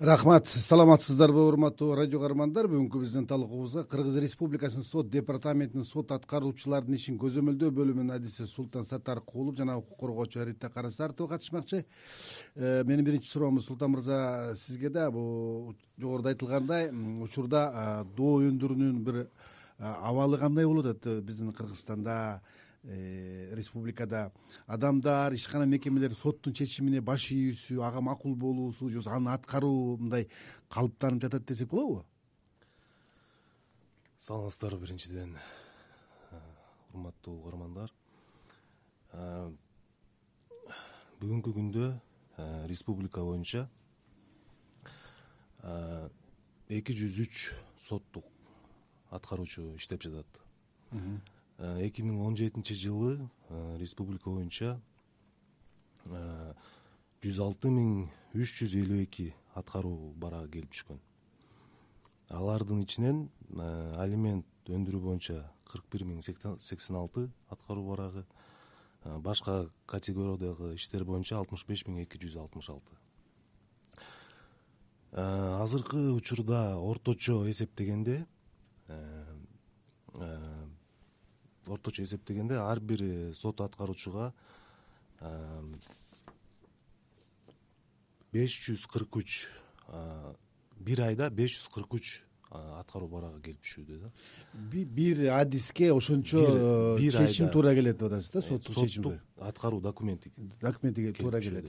Рахмат, саламатсыздарбы урматтуу радио каармандар. Бүгүнкү биздин талкуубузга Кыргыз Республикасынын сот департаментинин сот аткаруучулардын ишин көзөмөлдөө бөлүмүнүн адиси Султан Саттаркулов жана укук коргоочу Рита Карасартова катышмакчы. Менин биринчи суроом Султан мырза сизге да. Бул жогоруда айтылгандай учурда доо өндүрүүнүн бир абалы кандай болуп атат биздин Кыргызстанда, республикада? Адамдар, ишкана мекемелер соттун чечимине баш ийүүсү, ага макул болуусу же аны аткаруу мындай калыптанып жатат десек болобу? Саламатсыздарбы биринчиден, урматтуу угармандар. Бүгүнкү күндө республика боюнча 203 соттук аткаруучу иштеп жатат. 2017 жылы республика боюнча 106.352 аткаруу барагы келип түшкөн. Алардын ичинен алимент өндүрүү боюнча 41.086 аткаруу барагы, башка категориядагы иштер боюнча 65.266. Азыркы учурда орточо эсептегенде ар бир сот аткаруучуга 543 бир айда 543 аткаруу барагы келип түшүүдө да. Бир адиске ошончо чечим туура келет деп атасыз да, соттук чечимге. Аткаруу документиге туура келет.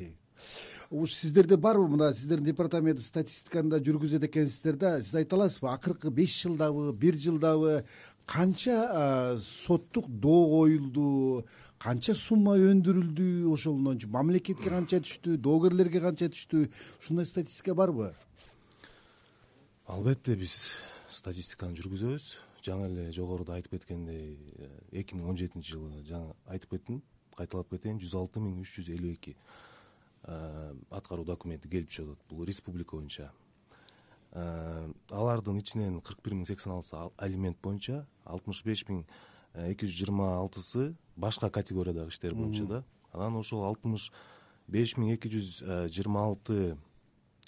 Сиздерде барбы мына сиздердин департамент статистиканы жүргүзөт экенсиздер да, сиз айта аласызбы акыркы 5 жылдабы, 1 жылдабы канча соттук доо коюлду, канча сумма өндүрүлдү, ошондон мамлекетке канча түштү, доогерлерге канча түштү, ушундай статистика барбы? Албетте биз статистиканы жүргүзөбүз. Жаңы эле жогоруда айтып кеткендей 2017 жылы жаңы айтып кеттим, кайталап кетейин, 106.352 аткаруу документи келип түшөт. Бул республика боюнча. Алардын ичинен 41.086 алимент боюнча, 65.226 башка категориядагы иштер боюнча да. Анан ошол 65.226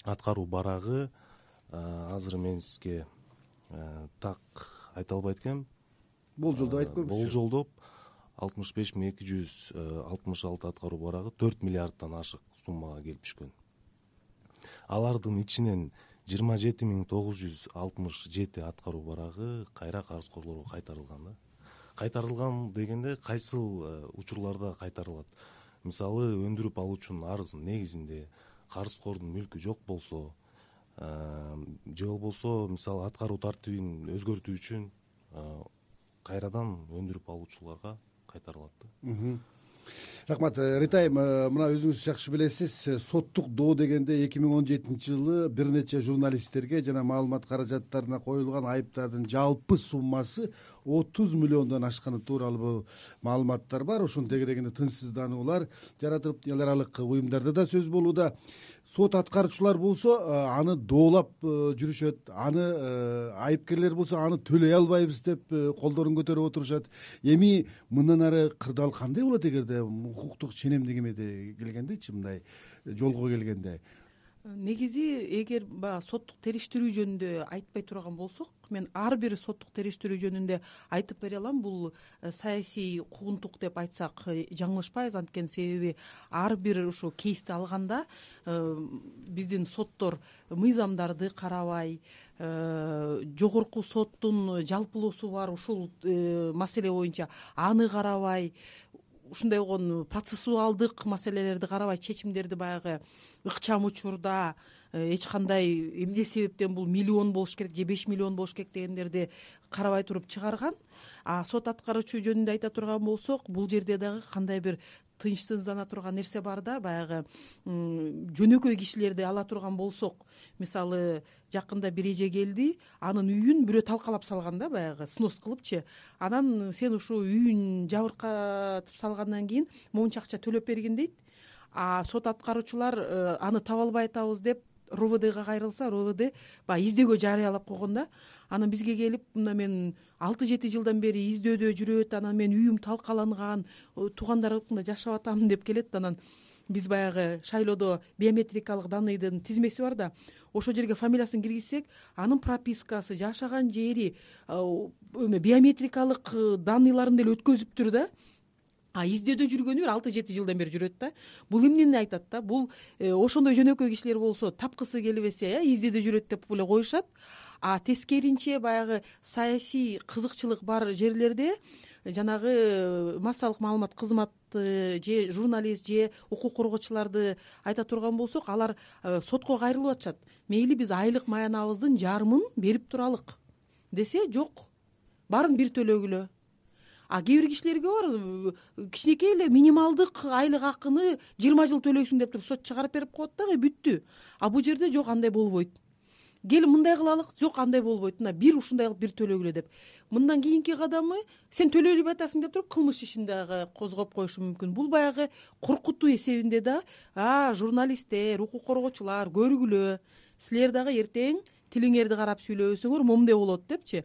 аткаруу барагы азыр мен сизге так айта албайт экенм. Болжолдоп айтып көрүңүзчү. Болжолдоп 65.266 аткаруу барагы 4 миллиарддан ашык суммага келип түшкөн. Алардын ичинен 27.967 аткаруу барагы кайра карызкорлорго кайтарылган да. Кайтарылган дегенде кайсыл учурларда кайтарылат? Мисалы, өндүрүп алуучунун арызынын негизинде карызкордун мүлкү жок болсо, же болбосо мисалы аткаруу тартибин өзгөртүү үчүн кайрадан өндүрүп алуучуларга кайтарылат да. Рахмат, Ритайым, мына өзүңүз жакшы билесиз, соттук доо дегенде 2017 жылы бир нече журналисттерге жана маалымат каражаттарына коюлган айыптардын жалпы суммасы 30 миллиондон ашканы тууралуу маалыматтар бар. Ошонун тегерегинде тынчсыздануулар жаратылып, эл аралык уюмдарда да сөз болууда. Сот аткаруучулар болсо аны доолап жүрүшөт, аны айыпкерлер болсо аны төлөй албайбыз деп колдорун көтөрүп отурушат. Эми мындан ары кырдаал кандай болот эгерде укуктук ченемдегиме келгендечи, мындай жолго келгенде? Негизи эгер баягы соттук териштирүү жөнүндө айтпай турган болсок, мен ар бир соттук териштирүү жөнүндө айтып бере алам. Бул саясий куугунтук деп айтсак жаңылышпайбыз, анткени себеби ар бир ушул кейсти алганда биздин соттор мыйзамдарды карабай, жогорку соттун жалпылоосу бар ушул маселе боюнча аны карабай, ушундай болгон процессуалдык маселелерди карабай, чечимдерди баягы ыкчам учурда эч кандай эмне себептен бул миллион болуш керек же 5 миллион болуш керек дегендерди карабай туруп чыгарган. Сот аткаруучу жөнүндө айта турган болсок, бул жерде дагы кандай бир тынчсыздана турган нерсе бар да. Баягы жөнөкөй кишилерди ала турган болсок, мисалы жакында бир эже келди, анын үйүн бирөө талкалап салган да, баягы снос кылыпчы. Анан сен ушул үйүн жабыркатып салгандан кийин монча акча төлөп бергин дейт. Сот аткаруучулар аны таба албай атабыз деп РОВДга кайрылса, РОВД баягы издөөгө жарыялап койгон да. Анан бизге келип, мына мен 6-7 жылдан бери издөөдө жүрөт, анан мен үйүм талкаланган, туугандарымда жашап атам деп келет. Анан биз баягы шайлоодо биометрикалык данныйдын тизмеси бар да, ошол жерге фамилиясын киргизсек, анын пропискасы, жашаган жери, биометрикалык данныйларын деле өткөзүптүр да. Издөөдө жүргөнү бир 6-7 жылдан бери жүрөт да. Бул эмнени айтат да? Бул ошондой жөнөкөй кишилер болсо тапкысы келбесе, издөөдө жүрөт деп эле коюшат. Тескеринче баягы саясий кызыкчылык бар жерлерде жанагы массалык маалымат кызматы же журналист же укук коргоочуларды айта турган болсок, алар сотко кайрылып атышат. Мейли биз айлык маянабыздын жарымын берип туралык десе, жок, баарын бир төлөгүлө. Кээ бир кишилерге бар, кичинекей эле минималдык айлык акыны 20 жыл төлөйсүң деп туруп сот чыгарып берип коет дагы, бүттү. Бул жерде жок, андай болбойт. Кел мындай кылалык, жок, андай болбойт. Мына бир ушундай кылып бир төлөгүлө деп. Мындан кийинки кадамы сен төлөй элбей атасың деп туруп кылмыш ишин дагы козгоп коюшу мүмкүн. Бул баягы коркутуу эсебинде да, журналисттер, укук коргоочулар көргүлө, силер дагы эртең тилиңерди карап сүйлөбөсөңөр момундай болот депчи.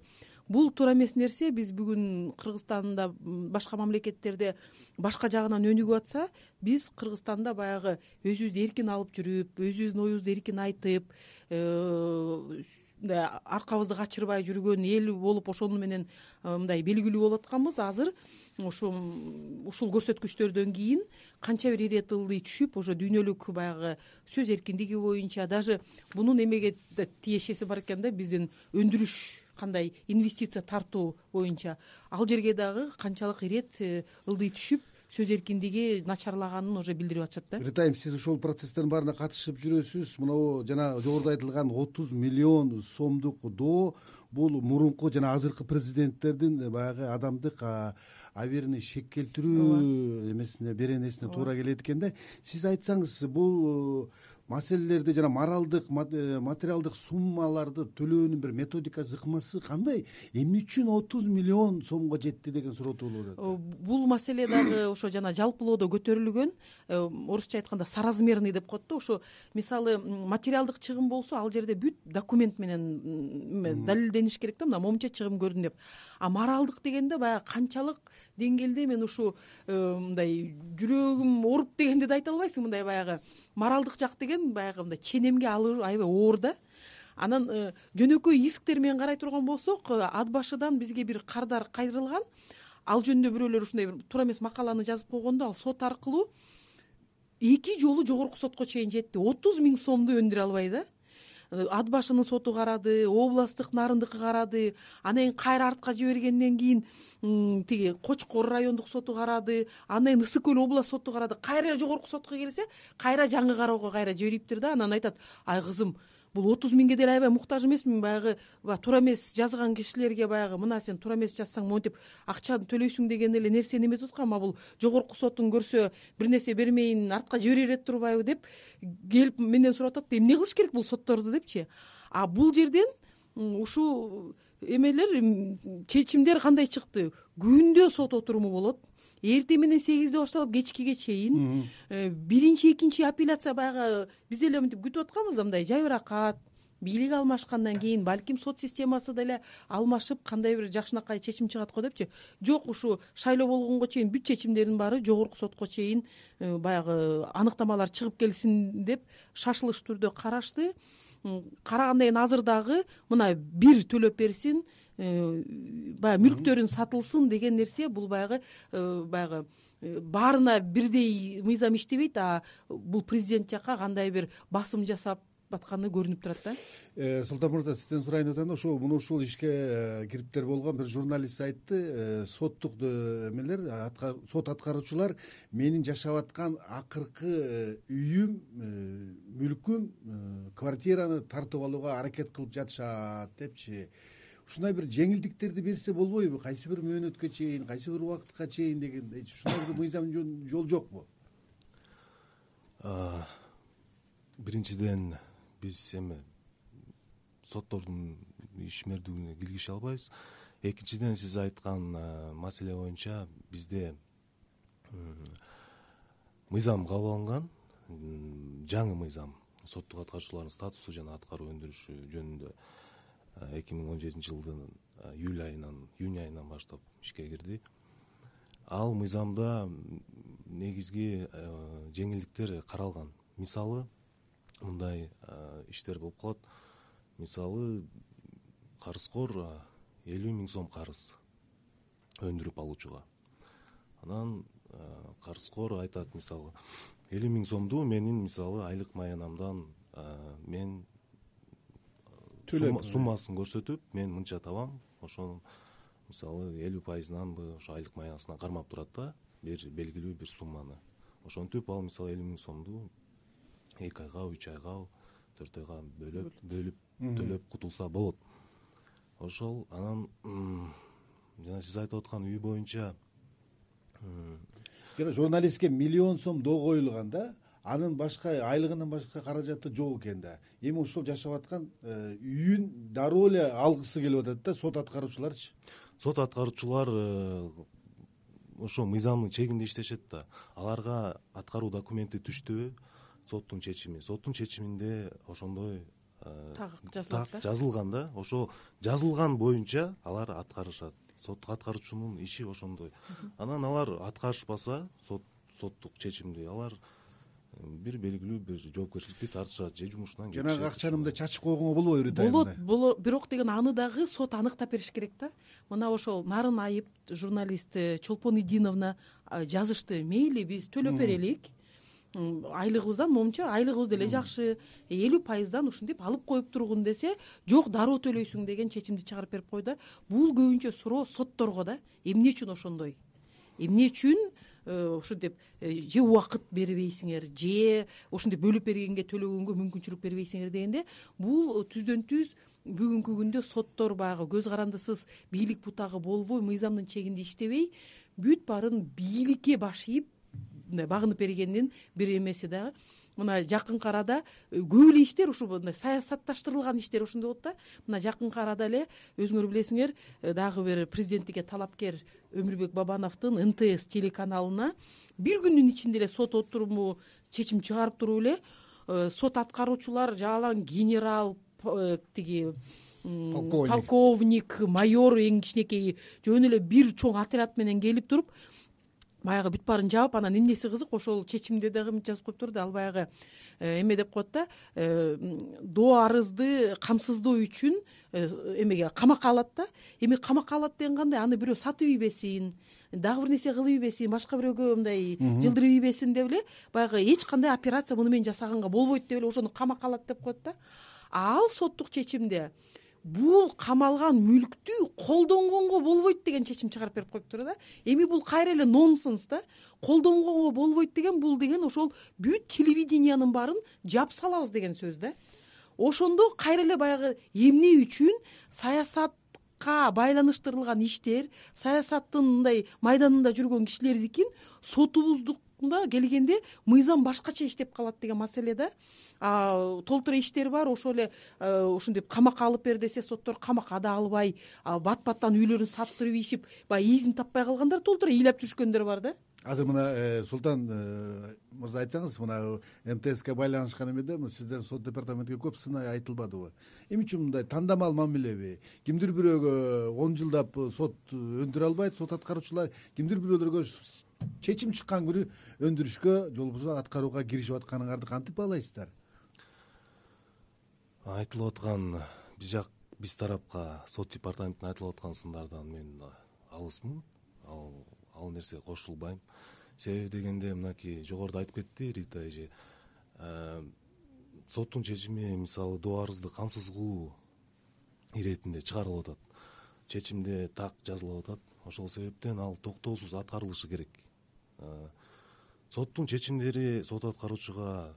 Бул туура эмес нерсе. Биз бүгүн Кыргызстанда, башка мамлекеттерде башка жагынан өнүгүп атса, биз Кыргызстанда баягы өзүбүздү эркин алып жүрүп, өзүбүздүн оюбузду эркин айтып, аркабызды качырбай жүргөн эл болуп, ошону менен мындай белгилүү болуп атканбыз. Азыр ушул көрсөткүчтөрдөн кийин канча бир ирет ылдый түшүп, ошо дүйнөлүк баягы сөз эркиндиги боюнча, даже бунун эмеге тиешеси бар экен да, биздин өндүрүш, кандай инвестиция тартуу боюнча, ал жерге дагы канчалык ирет ылдый түшүп, сөз эркиндиги начарлаганын уже билдирип атышат да. Ритайм, сиз ошол процесстердин баарына катышып жүрөсүз. Мына жана жогоруда айтылган 30 миллион сомдук доо, бул мурунку жана азыркы президенттердин баягы адамдык абийиrini шек келтирүү эмесине, беренесине туура келет экен да. Сиз айтсаңыз, бул маселелерди жана моралдык, материалдык суммаларды төлөөнүн бир методикасы, ыкмасы кандай? Эмне үчүн 30 миллион сомго жетти деген суроо туулуп атат. Бул маселе дагы ошо жана жалпылоодо көтөрүлгөн, орусча айтканда соразмерный деп коет да. Ошо мисалы материалдык чыгым болсо, ал жерде бүт документ менен далилдениш керек да, мына момунча чыгым көрдүм деп. Моралдык дегенде баягы канчалык деңгээлде, мен ушу мындай жүрөгүм ооруп дегенде да айта албайсың. Мындай баягы моралдык жак деген баягы мындай ченемге алуу аябай оор да. Анан жөнөкөй исктер менен карай турган болсок, ат башыдан бизге бир кардар кайрылган. Ал жөнүндө бирөөлөр ушундай бир туура эмес макаланы жазып койгондо, ал сот аркылуу 2 жолу жогорку сотко чейин жетти. 30 000 сомду өндүрө албай да. Ат башынын соту карады, областтык нарындыкы карады, анан кийин кайра артка жибергенден кийин тиги Кочкор райондук соту карады, анан Ысык көл область соту карады. Кайра жогорку сотко келсе, кайра жаңы кароого кайра жибериптир да. Анан айтат: ай кызым, бул 30 000ге деле аябай муктаж эмесмин, баягы туура эмес жазган кишилерге баягы мына сен туура эмес жазсаң монтип акчаны төлөйсүң деген эле нерсени эметип аткан. Бул жогорку соттун көрсө бир нерсе бермейин, артка жибере берет турбайбы деп келип менден сурап атат. Эмне кылыш керек бул сотторду депчи. Бул жерден ушул эмелер, чечимдер кандай чыкты? Күндө сот отуруму болот. Эртең менен 8-де башталып кечкиге чейин. Биринчи, экинчи апелляция баягы биз деле мынтип күтүп атканбыз да, мындай жайбыракат, бийлик алмашкандан кийин балким сот системасы деле алмашып, кандай бир жакшынакай чечим чыгат го депчи. Жок, ушу шайлоо болгонго чейин бүт чечимдердин баары жогорку сотко чейин баягы аныктамалар чыгып келсин деп шашылыш түрдө карашты. Карагандан кийин азыр дагы мына бир төлөп берсин, баягы мүлктөрүн сатылсын деген нерсе. Бул баягы баарына бирдей мыйзам иштебейт, бул президент жакка кандай бир басым жасап атканы көрүнүп турат да. Султан мырза, сизден сурайын деп атам да, ушул ишке кириптер болгон бир журналист айтты, соттук эмелер, сот аткаруучулар менин жашап аткан акыркы үйүм, мүлкүм, квартираны тартып алууга аракет кылып жатышат депчи. Ушундай бир жеңилдиктерди берсе болбойбу? Кайсы бир мөөнөткө чейин, кайсы бир убакытка чейин дегендей. Ушундай бир мыйзам жол жокпу? Биринчиден, биз соттордун ишмердүүлүгүнө киргише албайбыз. Экинчиден, сиз айткан маселе боюнча бизде мыйзам кабыл алынган, жаңы мыйзам, соттук аткаруучулардын статусу жана аткаруу өндүрүшү жөнүндө 2017 жылдын июнь айынан баштап ишке кирди. ал мыйзамда негизги жеңилдиктер каралган. Мисалы мындай иштер болуп калат. Мисалы карызкор 50 000 сом карыз өндүрүп алуучуга. Анан карызкор айтат, мисалы 50 000 сомду менин мисалы айлык маянамдан мен суммасын көрсөтүп, мен мынча табам, ошонун мисалы 50%нанбы ошо айлык маянасынан кармап турат да, бир белгилүү бир сумманы. Ошентип ал мисалы 50 000 сомду 2 айга, 3 айга, 4 айга бөлүп төлөп кутулса болот. Ошол анан жана сиз айтып аткан үй боюнча журналистке 1 000 000 сом доо коюлган да, анын башка айлыгынан башка каражаты жок экен да. Эми ошол жашап аткан үйүн дароо эле алгысы келип атат да. Сот аткаруучуларчы? Сот аткаруучулар ошо мыйзамдын чегинде иштешет да. Аларга аткаруу документи түштүбү, соттун чечиминде ошондой так жазылган да. Ошо жазылган боюнча алар аткарышат. Соттук аткаруучунун иши ошондой. Анан алар аткарышпаса, соттук чечимди алар бир белгилүү бир жоопкерчиликке тартышат же жумушунан кетишет. Жанагы акчаны мындай чачып койгонго болбойбу? Болот, бирок деген аны дагы сот аныктап бериш керек да. Мына ошол Нарын Айып журналист Чолпон Идиновна жазышты. Мейли биз төлөп берелик, айлыгыбыздан момунча, айлыгыбыз деле жакшы, 50%дан ушинтип алып коюп тургун десе, жок дароо төлөйсүң деген чечимди чыгарып берип койду. Бул көбүнчө суроо сотторго да. Эмне үчүн ошондой? Эмне үчүн ушинтип же убакыт бербейсиңер, же ушинтип бөлүп бергенге төлөгөнгө мүмкүнчүлүк бербейсиңер дегенде, бул түздөн түз бүгүнкү күндө соттор баягы көз карандысыз бийлик бутагы болбой, мыйзамдын чегинде иштебей, бүт баарын бийликке баш ийип мындай багынып бергендин бир эмеси дагы. Мына жакынкы арада көп эле иштер ушу мындай саясатташтырылган иштер ошондой болот да. Мына жакынкы арада эле өзүңөр билесиңер, дагы бир президенттикке талапкер Өмүрбек Бабановдун НТС телеканалына бир күндүн ичинде эле сот отуруму чечим чыгарып туруп эле сот аткаруучулар жалаң генерал, тиги полковник, майор эң кичинекейи жөн эле бир чоң отряд менен келип туруп баягы бүт баарын жаап, анан эмнеси кызык, ошол чечимде дагы жазып коюптур да, ал баягы эме деп коет да, доо арызды камсыздоо үчүн эмеге камакка алат да. Эми камакка алат деген кандай? Аны бирөө сатып ийбесин, дагы бир нерсе кылып ийбесин, башка бирөөгө мындай жылдырып ийбесин деп эле баягы эч кандай операция муну менен жасаганга болбойт деп эле ошону камакка алат деп коет да. Ал соттук чечимде бул камалган мүлктү колдонгонго болбойт деген чечим чыгарып берип коюптур да. Эми бул кайра эле нонсенс да. Колдонгонго болбойт деген бул деген ошол бүт телевидениянын баарын жап салабыз деген сөз да. Ошондо кайра эле баягы эмне үчүн саясатка байланыштырылган иштер, саясаттын мындай майданында жүргөн кишилердикин сотубуздукта келгенде мыйзам башкача иштеп калат деген маселе да. Толтура иштер бар, ошол эле ушинтип камакка алып бер десе, соттор камакка да албай, бат-баттан үйлөрүн саттырып ийишип, баягы изин таппай калгандар толтура ыйлап жүрүшкөндөр бар да. Азыр мына Султан мырза айтсаңыз, мына МТСке байланышкан эмеде сиздердин сот департаментке көп сынай айтылбадыбы? Эмне үчүн мындай тандамал мамилеби? Кимдир бирөөгө 10 жылдап сот өндүрө албайт, сот аткаруучулар, кимдир бирөөлөргө чечим чыккан күнү өндүрүшкө, же болбосо аткарууга киришип атканыңарды кантип баалайсыздар? Айтылып аткан биз тарапка сот департаментине айтылып аткан сындардан мен алысмын. Ал нерсеге кошулбайм. Себеби дегенде мынакей жогоруда айтып кетти Рита эже. Соттун чечими мисалы доо арызды камсыз кылуу иретинде чыгарылып атат. Чечимде так жазылып атат. Ошол себептен ал токтоосуз аткарылышы керек. Соттун чечимдери сот аткаруучуга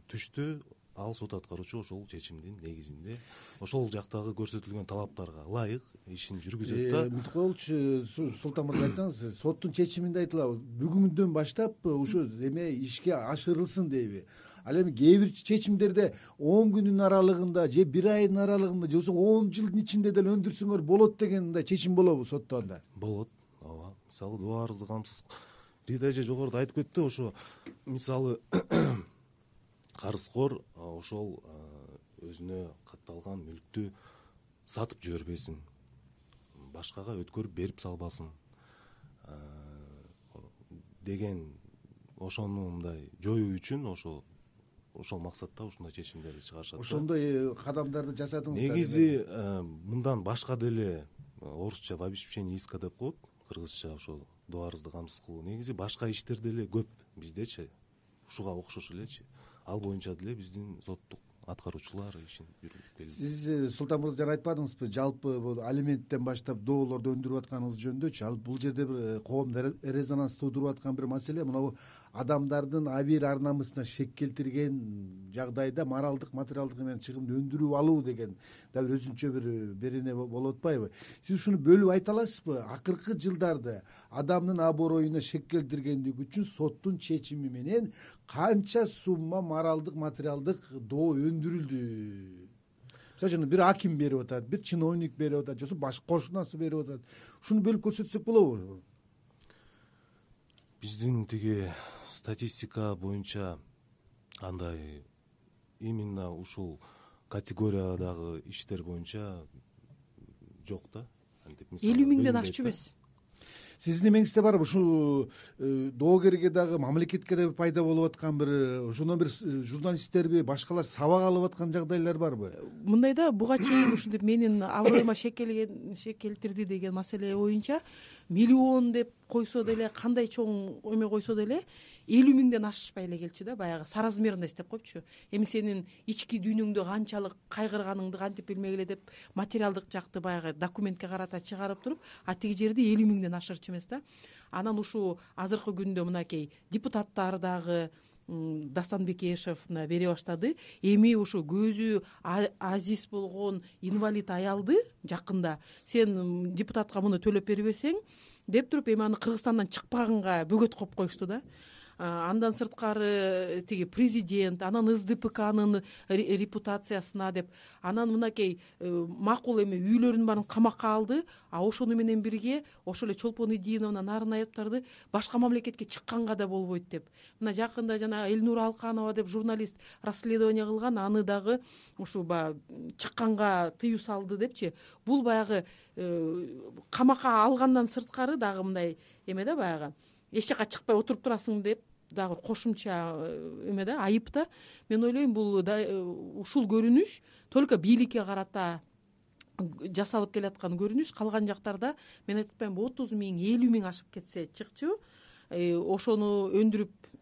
түштү. Ал сот аткаруучу ошол чечимдин негизинде ошол жактагы көрсөтүлгөн талаптарга ылайык ишин жүргүзөт да. Мынтип коелучу, Султан мырза айтсаңыз, соттун чечиминде айтылат, бүгүндөн баштап ушу эме ишке ашырылсын дейби? Ал эми кээ бир чечимдерде 10 күнүн аралыгында же 1 айдын аралыгында же болбосо 10 жылдын ичинде деле өндүрсөңөр болот деген мындай чечим болобу сотто анда? Болот, ооба. Мисалы доо арызды камсыз Рита эже жогоруда айтып кетти, ошо мисалы карызкор ошол өзүнө катталган мүлктү сатып жибербесин, башкага өткөрүп берип салбасын, деген ошону мындай жоюу үчүн ошол максатта ушундай чечимдерди чыгарышат. Ошондой кадамдарды жасадыңыздар. Негизи мындан башка деле орусча в обеспечении иска деп коет, кыргызча ошо доо арызды камсыз кылуу. Негизи башка иштер деле көп биздечи, ушуга окшош элечи. Ал боюнча деле биздин соттук аткаруучулар ишин жүргүзүп келет. Сиз Султан мырза жана айтпадыңызбы, жалпы бул алименттен баштап доолорду өндүрүп атканыңыз жөнүндөчү, ал бул жерде бир коомдо резонанс туудуруп аткан бир маселе, мына адамдардын абийир ар намысына шек келтирген жагдайда моралдык, материалдык менен чыгымды өндүрүп алуу деген да бир өзүнчө бир берене болуп атпайбы? Сиз ушуну бөлүп айта аласызбы? Акыркы жылдарда адамдын аброюна шек келтиргендиги үчүн соттун чечими менен канча сумма моралдык, материалдык доо өндүрүлдү? Мисалы үчүн бир аким берип атат, бир чиновник берип атат, же баш кошунасы берип атат. Ушуну бөлүп көрсөтсөк болобу? Биздин тиги статистика боюнча андай именно ушул категориядагы иштер боюнча жок да. 50 миңден ашчу эмес. Сиздин эмеңизде барбы ушул доогерге дагы, мамлекетке да пайда болуп аткан бир, ошондон бир журналисттерби, башкалар сабак алып аткан жагдайлар барбы? Мындай да, буга чейин ушинтип менин аброюма шек келтирди деген маселе боюнча миллион деп койсо деле, кандай чоң эме койсо деле 50 миңден ашышпай эле келчү да, баягы соразмерно эстеп коюпчу. Эми сенин ички дүйнөңдө канчалык кайгырганыңды кантип билмегиле деп материалдык жакты баягы документке карата чыгарып туруп, а тиги жерде 50 миңден ашырчу эмес да. Анан ушу азыркы күндө мынакей депутаттар дагы Дастан Бекешев бере баштады. Эми ушу көзү азиз болгон инвалид аялды жакында сен депутатка муну төлөп бербесең деп туруп, эми аны Кыргызстандан чыкпаганга бөгөт коюп коюшту да. Андан сырткары тиги президент, анан СДПКнын репутациясына деп, анан мынакей макул эми үйлөрүн баарын камакка алды, а ошону менен бирге ошол эле Чолпон Идиновна, Нарын Аяптарды башка мамлекетке чыкканга да болбойт деп. Мына жакында жана Элнура Алканова деп журналист расследование кылган, аны дагы ушу чыкканга тыюу салды депчи. Бул баягы камакка алгандан сырткары дагы мындай эме да, баягы эч жака чыкпай отуруп турасың деп дагы кошумча эме да, айып да. Мен ойлойм, бул ушул көрүнүш только бийликке карата жасалып келаткан көрүнүш. Калган жактарда мен айтып атпаймынбы, 30 миң, 50 миң ашып кетсе чыкчу, ошону өндүрүп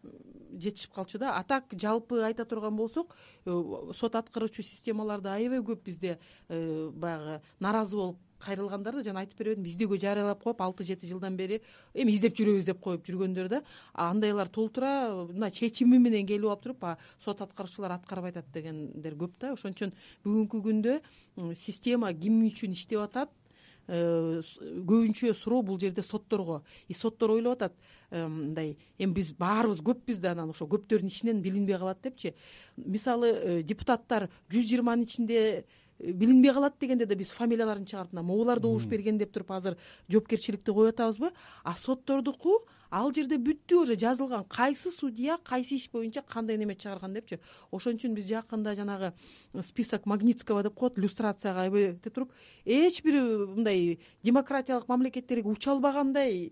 жетишип калчу да. А так жалпы айта турган болсок, сот аткаруучу системаларда аябай көп бизде баягы наразы болуп кайрылгандар да, жана айтып беребедим, биздегө жарыялап коюп 6-7 жылдан бери эми издеп жүрөбүз деп коюп жүргөндөр да, андайлар толтура мына чечими менен келип алып туруп, сот аткаруучулар аткарбай атат дегендер көп да. Ошон үчүн бүгүнкү күндө система ким үчүн иштеп атат, көбүнчө суроо бул жерде сотторго. Соттор ойлоп атат, мындай эми биз баарыбыз көппүз да, анан ошо көптөрдүн ичинен билинбей калат депчи. Мисалы депутаттар 120-нын ичинде билинбей калат дегенде да биз фамилияларын чыгарып, могулар добуш берген деп туруп азыр жоопкерчиликти коюп атабызбы? А соттордуку ал жерде бүттү, уже жазылган, кайсы судья кайсы иш боюнча кандай неме чыгарган депчи. Ошон үчүн биз жакында жанагы список Магнитского деп коет, люстрацияга эбете туруп, эч бир мындай демократиялык мамлекеттерге уча албагандай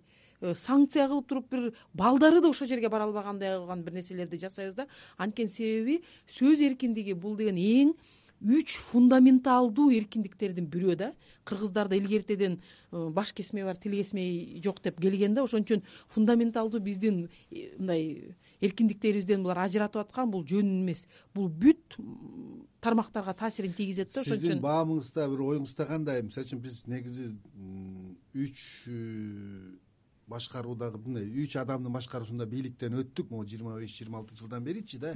санкция кылып туруп, бир балдары да ошол жерге бара албагандай кылган бир нерселерди жасайбыз да. Анткени себеби сөз эркиндиги бул деген эң 3 фундаменталдуу эркиндиктердин бирөө да. Кыргыздарда илгертеден баш кесме бар, тил кесмей жок деп келген да. Ошон үчүн фундаменталдуу биздин мындай эркиндиктерибизден булар ажыратып аткан, бул жөн эмес. Бул бүт тармактарга таасирин тийгизет да. Ошон үчүн сиздин баамыңызда, бир оюңузда кандай? Мисалы үчүн биз негизи 3 башкаруудагы мындай 3 адамдын башкаруусунда бийликтен өттүк, могу 25-26 жылдан беричи да.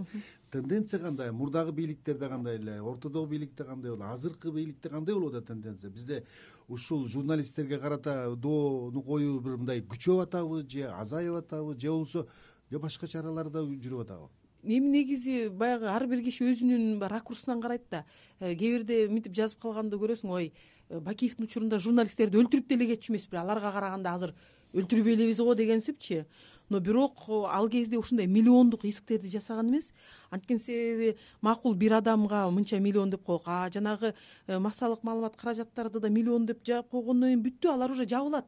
Тенденция кандай? Мурдагы бийликтерде кандай эле, ортодогу бийликте кандай болду, азыркы бийликте кандай болуп атат тенденция? Бизде ушул журналисттерге карата доону коюу бир мындай күчөп атабы, же азайып атабы, же болбосо башка чаралар да жүрүп атабы? Эми негизи баягы ар бир киши өзүнүн ракурсунан карайт да. Кээ бирде мынтип жазып калганды көрөсүң, ой, Бакиевдин учурунда журналисттерди өлтүрүп деле кетчү эмеспи, аларга караганда азыр өлтүрбөй элебиз го дегенсипчи. Но бирок ал кезде ушундай миллиондук исктерди жасаган эмес. Анткени себеби макул бир адамга мынча миллион деп коек, жанагы массалык маалымат каражаттарды да миллион деп жаап койгондон кийин бүттү, алар уже жабылат.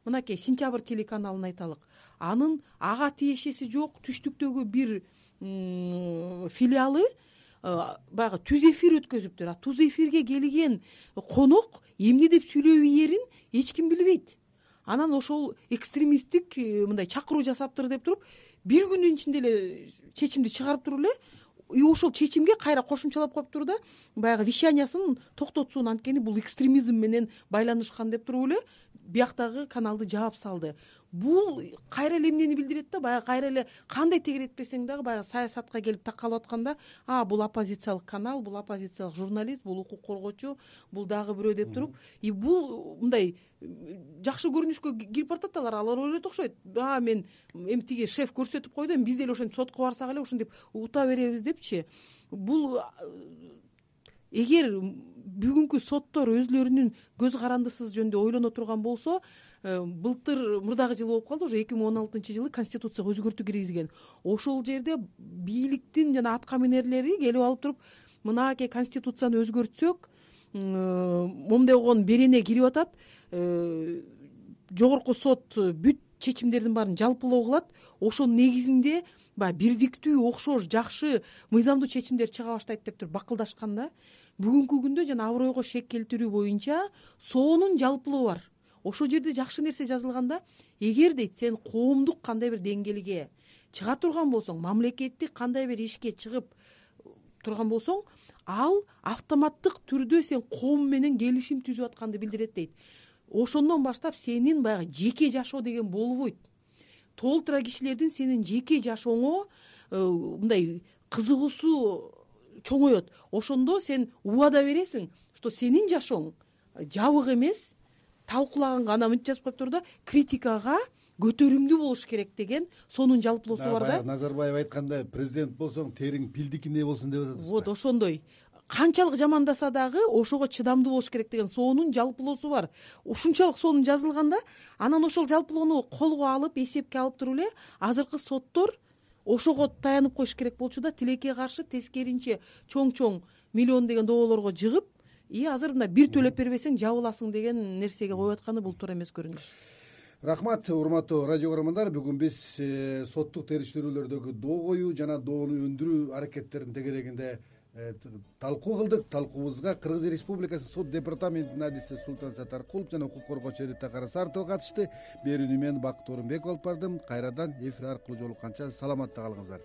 мынакей Сентябрь телеканалын айталык, анын ага тиешеси жок түштүктөгү бир филиалы баягы түз эфир өткөзүптүр. А түз эфирге келген конок эмне деп сүйлөп ийерин эч ким билбейт. Анан ошол экстремисттик мындай чакыруу жасаптыр деп туруп бир күндүн ичинде эле чечимди чыгарып туруп эле и ошол чечимге кайра кошумчалап коюптур да баягы вещаниясын токтотсун, анткени бул экстремизм менен байланышкан деп туруп эле бияктагы каналды жаап салды. Бул кайра эле эмнени билдирет да, баягы кайра эле кандай тегеретпесең дагы баягы саясатка келип такалып атканда, бул оппозициялык канал, бул оппозициялык журналист, бул укук коргоочу, бул дагы бирөө деп туруп, и бул мындай жакшы көрүнүшкө кирип баратат алар ойлойт окшойт. Мен эми тиги шеф көрсөтүп койду, эми биз деле ошентип сотко барсак эле ошентип ута беребиз депчи. Бул эгер бүгүнкү соттор өзлөрүнүн көз карандысыз жөнүндө ойлоно турган болсо, былтыр мурдагы жылы болуп калды, уже 2016-жылы конституцияга өзгөртүү киргизген. Ошол жерде бийликтин жана атка минерлери келип алып туруп, мынакей конституцияны өзгөртсөк, момдогон берене кирип атат, жогорку сот бүт чечимдердин баарын жалпылоо кылат. Ошонун негизинде баягы бирдиктүү, окшош, жакшы, мыйзамдуу чечимдер чыга баштайт деп туруп бакылдашканда, бүгүнкү күндө жана абройго шек келтирүү боюнча соонун жалпылоо бар. Ошол жерде жакшы нерсе жазылганда, эгер дейт сен коомдук кандай бир деңгээлге чыга турган болсоң, мамлекеттик кандай бир ишке чыгып турган болсоң, ал автоматтык түрдө сен коом менен келишим түзүп атканды билдирет дейт. Ошондон баштап сенин баягы жеке жашоо деген болбойт. Толтура кишилердин сенин жеке жашооңо мындай кызыгуусу чоңоет. Ошондо сен убада бересиң, что сенин жашооң жабык эмес, талкуулаганга ана мынтип жазып коюптур да, критикага көтөрүмдүү болуш керек деген сонун жалпылоосу бар да. Назарбаев айткандай, президент болсоң териң пилдикиндей болсун деп атат. Вот ошондой. Канчалык жамандаса дагы ошого чыдамдуу болуш керек деген сонун жалпылоосу бар. Ушунчалык сонун жазылганда, анан ошол жалпылоону колго алып, эсепке алып туруп эле азыркы соттор ошого таянып коюш керек болчу да, тилекке каршы тескеринче чоң миллион деген доолорго жыгып, азыр мына бир төлөп бербесең жабыласың деген нерсеге коюп атканы бул туура эмес көрүнүш. Рахмат, урматтуу радио көрөрмандар. Бүгүн биз соттук териштирүүлөрдөгү доо коюу жана доону өндүрүү аракеттеринин тегерегинде талкуу кылдык. Талкуубузга Кыргыз Республикасы сот департаментинин адиси Султан Сатаркулов жана укук коргоочу Рита Карасартова катышты. Берүүнү мен Бакыт Орунбеков алып бардым. Кайрадан эфир аркылуу жолукканча саламатта калыңыздар.